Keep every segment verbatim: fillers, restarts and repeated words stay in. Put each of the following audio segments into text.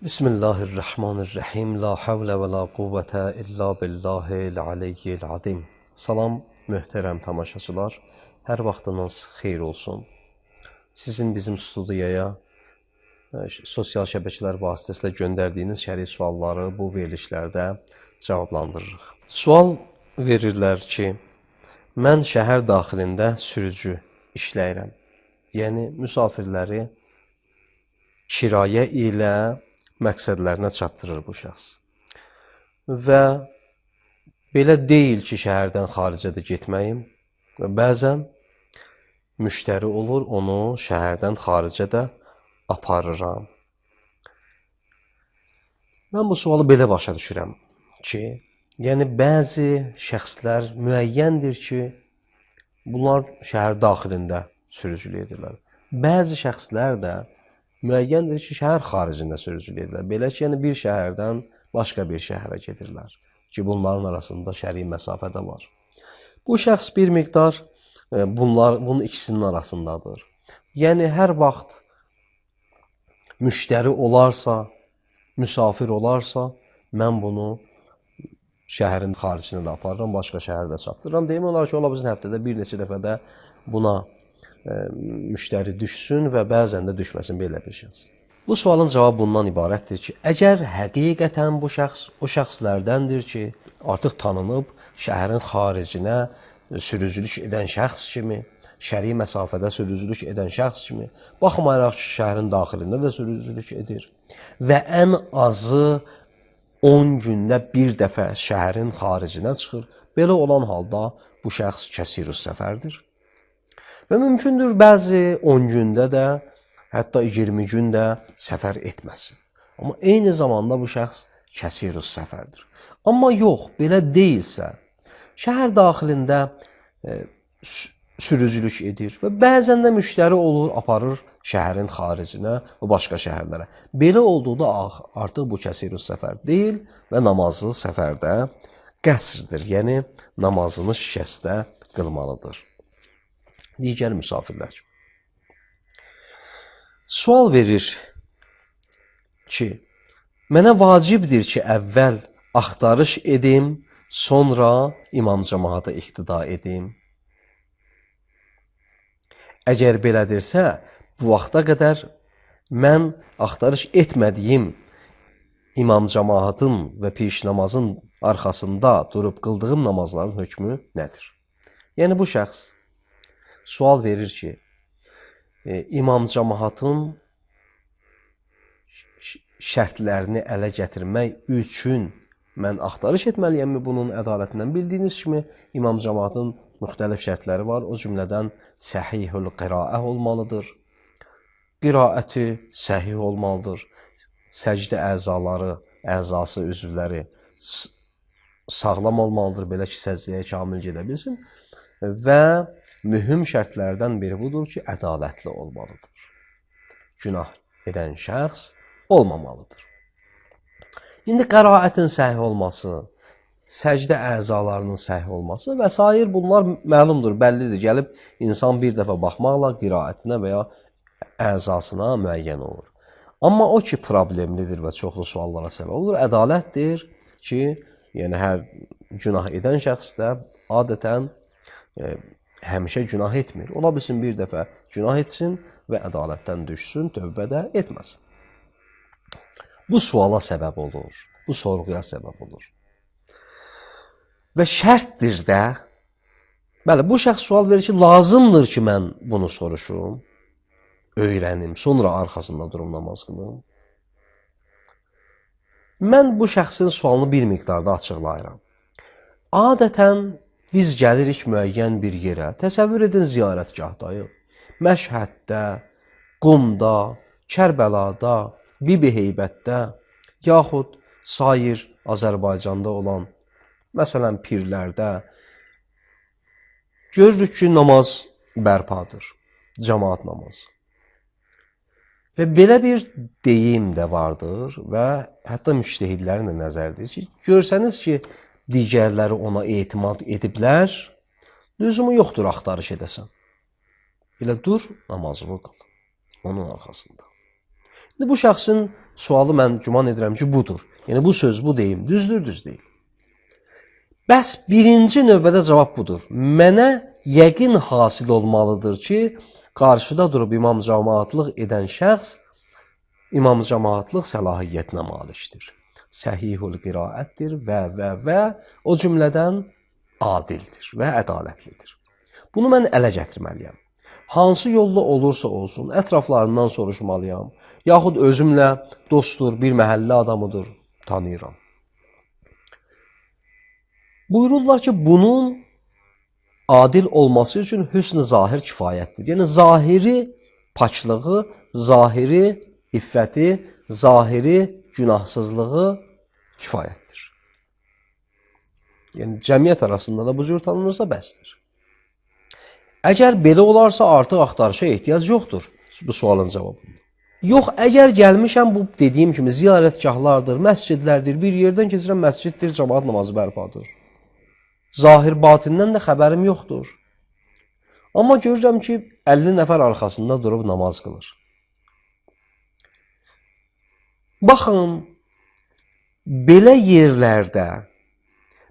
Bismillahirrahmanirrahim. La havle və la quvvətə illa billahil aliyyil adim. Salam, möhtərəm tamaşaçılar. Hər vaxtınız xeyir olsun. Sizin bizim studiyaya sosial şəbəkələr vasitəsilə göndərdiyiniz şəri sualları bu verilişlərdə cavablandırırıq. Sual verirlər ki, mən şəhər daxilində sürücü işləyirəm. Yəni, müsafirləri kirayə ilə məqsədlərinə çatdırır bu şəxs. Və belə deyil ki, şəhərdən xaricə də getməyim və bəzən müştəri olur, onu şəhərdən xaricə də aparıram. Mən bu sualı belə başa düşürəm ki, yəni bəzi şəxslər müəyyəndir ki, bunlar şəhər daxilində sürücülük edirlər. Bəzi şəxslər də müəyyəndir ki, şəhər xaricində sürücülük edirlər. Belə ki, yəni bir şəhərdən başqa bir şəhərə gedirlər ki, bunların arasında şəri məsafə də var. Bu şəxs bir miqdar bunlar, bunun ikisinin arasındadır. Yəni, hər vaxt müştəri olarsa, müsafir olarsa, mən bunu şəhərin xaricində də aparıram, başqa şəhərdə çatdırıram. Deyim olar ki, ola bizim həftədə bir neçə dəfədə buna müştəri düşsün və bəzən də düşməsin belə bir şəxs. Bu sualın cavabı bundan ibarətdir ki, əgər həqiqətən bu şəxs o şəxslərdəndir ki, artıq tanınıb şəhərin xaricinə sürücülük edən şəxs kimi, şəri məsafədə sürücülük edən şəxs kimi, baxmayaraq ki, şəhərin daxilində də sürücülük edir və ən azı on gündə bir dəfə şəhərin xaricinə çıxır, belə olan halda bu şəxs kəsirus səfərdir. Və mümkündür bəzi on gündə də, hətta iyirmi gündə səfər etməsin. Amma eyni zamanda bu şəxs kəsirus səfərdir. Amma yox, belə deyilsə, şəhər daxilində e, sürücülük edir və bəzən də müştəri olur, aparır şəhərin xaricinə və başqa şəhərlərə. Belə olduqda artıq bu kəsirus səfər deyil və namazı səfərdə qəsrdir, yəni namazını şikəstə qılmalıdır. Digər müsafirlər. Sual verir ki, mənə vacibdir ki, əvvəl axtarış edim, sonra imam cəmaata iqtida edim. Əgər belədirsə, bu vaxta qədər mən axtarış etmədiyim imam cəmaatın və piş namazın arxasında durub qıldığım namazların hökmü nədir? Yəni bu şəxs sual verir ki, e, imam cəmaatın şərtlərini ələ gətirmək üçün mən axtarış etməliyəmmi bunun ədalətindən? Bildiyiniz kimi, imam cəmaatın müxtəlif şərtləri var. O cümlədən səhihül qiraə olmalıdır. Qiraəti səhih olmalıdır. Səcdə əzaları, əzası, üzvləri sağlam olmalıdır, belə ki, səcdəyə kamil gedə bilsin. Və mühüm şərtlərdən biri budur ki, ədalətli olmalıdır. Günah edən şəxs olmamalıdır. İndi qəraətin səhih olması, səcdə əzalarının səhih olması və s. bunlar məlumdur, bəllidir. Gəlib insan bir dəfə baxmaqla qiraətinə və ya əzasına müəyyən olur. Amma o ki, problemlidir və çoxlu suallara səbəb olur, ədalətdir ki, yəni hər günah edən şəxs də adətən e, həmişə günah etmir. Ola bilsin bir dəfə günah etsin və ədalətdən düşsün, tövbə də etməsin. Bu suala səbəb olur, bu sorğuya səbəb olur. Və şərtdir də, bəli, bu şəxs sual verir ki, lazımdır ki, mən bunu soruşum, öyrənim, sonra arxasında durum namaz qılım. Mən bu şəxsin sualını bir miqdarda açıqlayıram. Adətən biz gəlirik müəyyən bir yerə, təsəvvür edin ziyarətgahdayıq. Məşhəddə, Qumda, Kərbəlada, Bibiheybətdə, yaxud sair Azərbaycanda olan, məsələn, pirlərdə görürük ki, namaz bərpadır, cəmaat namazı. Və belə bir deyim də vardır və hətta müştəhidlərin də nəzərdir ki, görsəniz ki, digərləri ona etimad ediblər, lüzumu yoxdur axtarış edəsən. Elə dur, namazını qıl onun arxasında. İndi bu şəxsin Sualı mən güman edirəm ki, budur. Yəni bu söz, bu deyim, düzdür, düz deyil. Bəs birinci növbədə cavab budur. Mənə yəqin hasil olmalıdır ki, qarşıda durub imam cəmaatlıq edən şəxs imam cəmaatlıq səlahiyyətinə malikdir. Səhihul qiraətdir və və və o cümlədən adildir və ədalətlidir. Bunu mən ələ gətirməliyəm. Hansı yolla olursa olsun, ətraflarından soruşmalıyam. Yaxud özümlə dostdur, bir məhəllə adamıdır, tanıyıram. Buyururlar ki, bunun adil olması üçün hüsn-i zahir kifayətdir. Yəni, zahiri paçlığı, zahiri iffəti, zahiri günahsızlığı kifayətdir. Yəni, cəmiyyət arasında da bu cür tanınırsa bəsdir. Əgər belə olarsa, artıq axtarışa ehtiyac yoxdur bu sualın cavabında. Yox, əgər gəlmişəm, bu dediyim kimi ziyarətgahlardır, məscidlərdir, bir yerdən keçirən məsciddir, cəmaat namazı bərpadır. Zahir batindən də xəbərim yoxdur. Amma görürəm ki, əlli nəfər arxasında durub namaz qılır. Baxın, belə yerlərdə,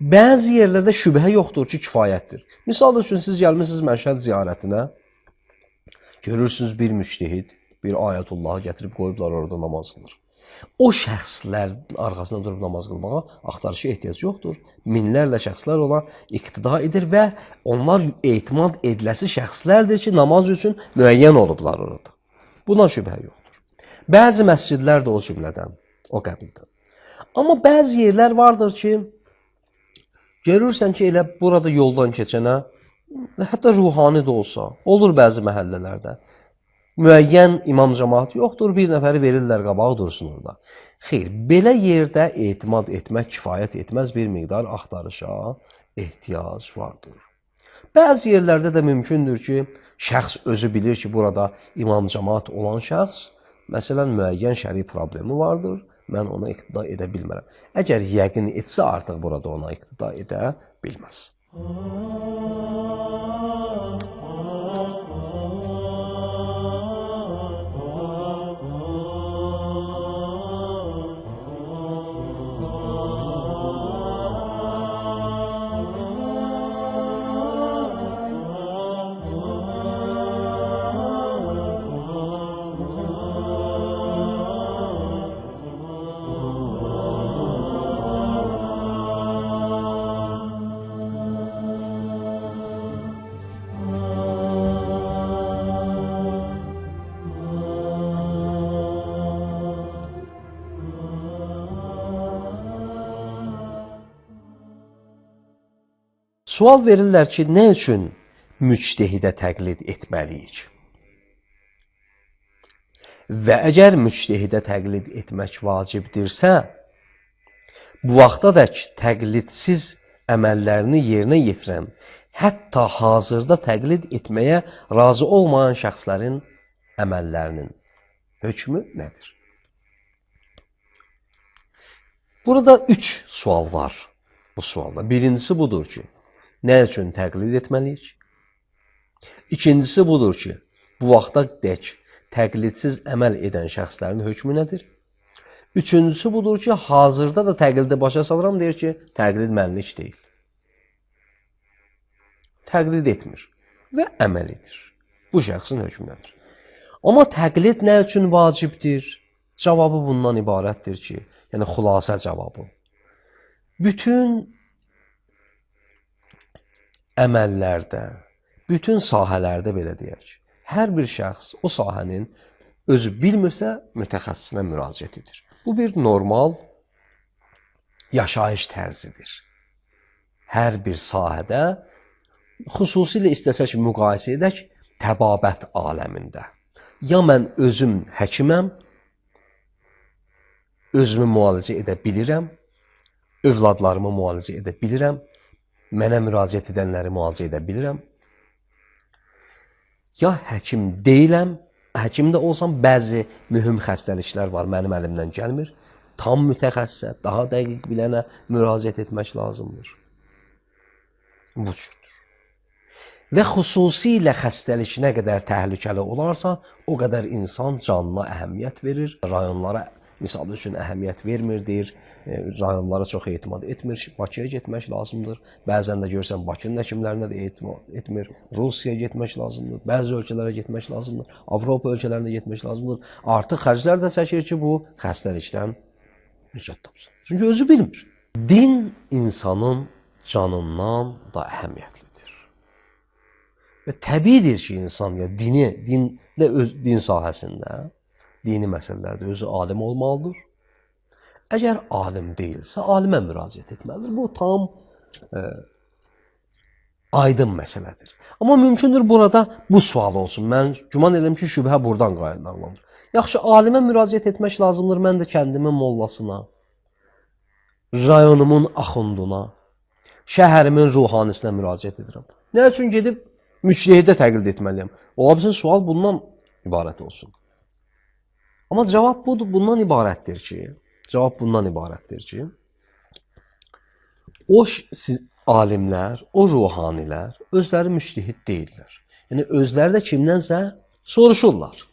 bəzi yerlərdə şübhə yoxdur ki, kifayətdir. Misal üçün, siz gəlmişsiniz Məşhəd ziyarətinə, görürsünüz bir müctehid, bir ayətullahı gətirib qoyublar orada namaz qılır. O şəxslərin arxasında durub namaz qılmağa axtarışa ehtiyac yoxdur. Minlərlə şəxslər ona iqtida edir və onlar etimad ediləsi şəxslərdir ki, namaz üçün müəyyən olublar orada. Buna şübhə yoxdur. Bəzi məscidlər də o cümlədən, o qəbildən. Amma bəzi yerlər vardır ki, görürsən ki, elə burada yoldan keçənə, hətta ruhani də olsa, olur bəzi məhəllələrdə, müəyyən imam cəmaat yoxdur, bir nəfəri verirlər qabağı dursun orada. Xeyr, belə yerdə etimad etmək kifayət etməz, bir miqdar axtarışa ehtiyac vardır. Bəzi yerlərdə də mümkündür ki, şəxs özü bilir ki, burada imam cəmaat olan şəxs, məsələn, müəyyən şəri problemi vardır, mən ona iqtida edə bilmərəm. Əgər yəqin etsə, artıq burada ona iqtida edə bilməz. Sual verirlər ki, nə üçün müctehidə təqlid etməliyik? Və əgər müctehidə təqlid etmək vacibdirsə, bu vaxtadək təqlidsiz əməllərini yerinə yetirən, hətta hazırda təqlid etməyə razı olmayan şəxslərin əməllərinin hökmü nədir? Burada üç sual var bu sualda. Birincisi budur ki, nə üçün təqlid etməliyik? İkincisi budur ki, bu vaxta dək təqlidsiz əməl edən şəxslərin hökmü nədir? Üçüncüsü budur ki, hazırda da təqlidi başa salıram, deyir ki, təqlid mənlik deyil. Təqlid etmir və əməl edir. Bu şəxsin hökmü nədir? Amma təqlid nə üçün vacibdir? Cavabı bundan ibarətdir ki, yəni xülasə cavabı. Bütün əməllərdə, bütün sahələrdə belə deyək, hər bir şəxs o sahənin özü bilmirsə, mütəxəssisinə müraciət edir. Bu bir normal yaşayış tərzidir. Hər bir sahədə, xüsusilə istəsək müqayisə edək, təbabət aləmində. Ya mən özüm həkiməm, özümü müalicə edə bilirəm, övladlarımı müalicə edə bilirəm, mənə müraciət edənləri müalicə edə bilirəm. Ya həkim deyiləm, həkim də olsam, bəzi mühüm xəstəliklər var, mənim əlimdən gəlmir. Tam mütəxəssisə, daha dəqiq bilənə müraciət etmək lazımdır. Bu cürdür. Və xüsusilə xəstəlik nə qədər təhlükəli olarsa, o qədər insan canına əhəmiyyət verir, rayonlara misal üçün əhəmiyyət vermirdir, e, rayonlara çox etimad etmir, Bakıya getmək lazımdır. Bəzən də görürsən Bakının həkimlərinə də etimad etmir, Rusiyaya getmək lazımdır, bəzi ölkələrə getmək lazımdır, Avropa ölkələrinə getmək lazımdır. Artıq xərclər də çəkir ki, bu xəstəlikdən nicat tapsın. Çünki özü bilmir. Din insanın canından da əhəmiyyətlidir. Və təbiidir ki, insan ya dini, din də öz din sahəsində, dini məsələlərdə özü alim olmalıdır. Əgər alim deyilsə, alimə müraciət etməlidir. Bu tam e, aydın məsələdir. Amma mümkündür burada bu sual olsun. Mən güman edirəm ki, şübhə buradan qaynaqlanır. Yaxşı, alimə müraciət etmək lazımdır. Mən də kəndimin mollasına, rayonumun axunduna, şəhərimin ruhanisinə müraciət edirəm. Nə üçün gedib müctehidə təqlid etməliyəm? Ola bilsin, sual bundan ibarət olsun. Amma cavab budur, bundan ibarətdir ki, cavab bundan ibarətdir ki, o siz, alimlər, o ruhanilər özləri müctehid deyirlər. Yəni, özləri də kimdənsə soruşurlar.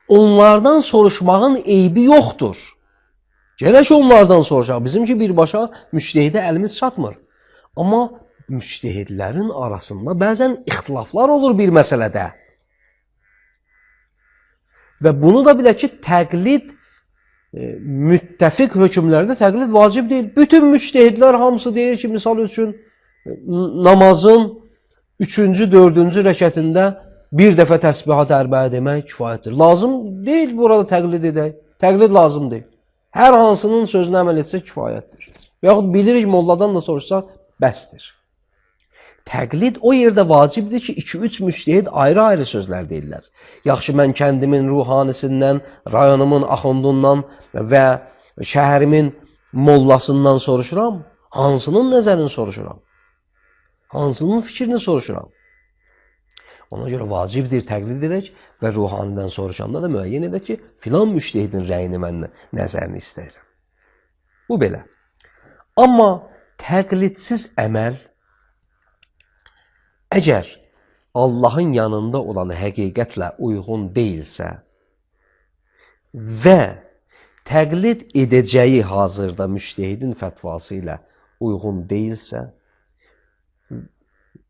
Onlardan soruşmağın eybi yoxdur. Gərək onlardan soruşaq. Bizimki birbaşa müctehidə əlimiz çatmır. Amma müctehidlərin arasında bəzən ixtilaflar olur bir məsələdə. Və bunu da bilək ki, təqlid, e, müttəfiq hökmlərdə təqlid vacib deyil. Bütün müctehidlər hamısı deyir ki, misal üçün, namazın üçüncü, dördüncü rəkətində bir dəfə təsbihat ərbəə demək kifayətdir. Lazım deyil burada təqlid edək. Təqlid lazım deyil. Hər hansının sözünə əməl etsə kifayətdir. Və yaxud bilirik, molladan da soruşsa, bəsdir. Təqlid o yerdə vacibdir ki, iki üç müctehid ayrı-ayrı sözlər deyirlər. Yaxşı, mən kəndimin ruhanisindən, rayonumun axundundan və şəhərimin mollasından soruşuram. Hansının nəzərini soruşuram? Hansının fikrini soruşuram? Ona görə vacibdir təqlid edək və ruhanidən soruşanda da müəyyən edək ki, filan müctehidin rəyini mən nəzərini istəyirəm. Bu belə. Amma təqlidsiz əməl, əgər Allahın yanında olan həqiqətlə uyğun deyilsə və təqlid edəcəyi hazırda müctehidin fətvası ilə uyğun deyilsə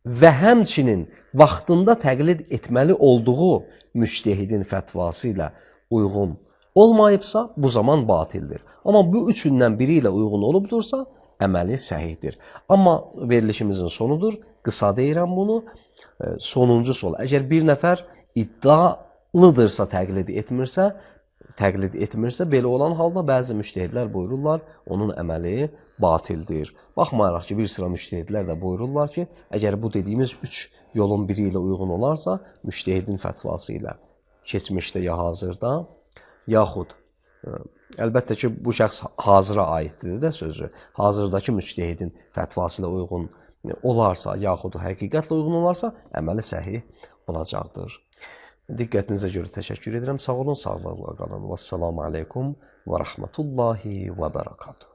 və həmçinin vaxtında təqlid etməli olduğu müctehidin fətvası ilə uyğun olmayıbsa, bu zaman batildir. Amma bu üçündən biri ilə uyğun olubdursa, əməli səhihdir. Amma verilişimizin sonudur, qısa deyirəm bunu, sonuncu sol. Əgər bir nəfər iddialıdırsa təqlid etmirsə, təqlid etmirsə, belə olan halda bəzi müctehidlər buyururlar, onun əməli batildir. Baxmayaraq ki, bir sıra müctehidlər də buyururlar ki, əgər bu dediyimiz üç yolun biri ilə uyğun olarsa, müctehidin fətvası ilə keçmişdə ya hazırda, yaxud, əlbəttə ki, bu şəxs hazıra aiddir də sözü, hazırdakı müctehidin fətvası ilə uyğun olarsa, yaxud həqiqətlə uyğun olarsa, əməli səhih olacaqdır. Diqqətinizə görə təşəkkür edirəm. Sağ olun, sağlıqla qalın. Vəssalamu aleykum və rəhmətullahi və bərəkatuhu.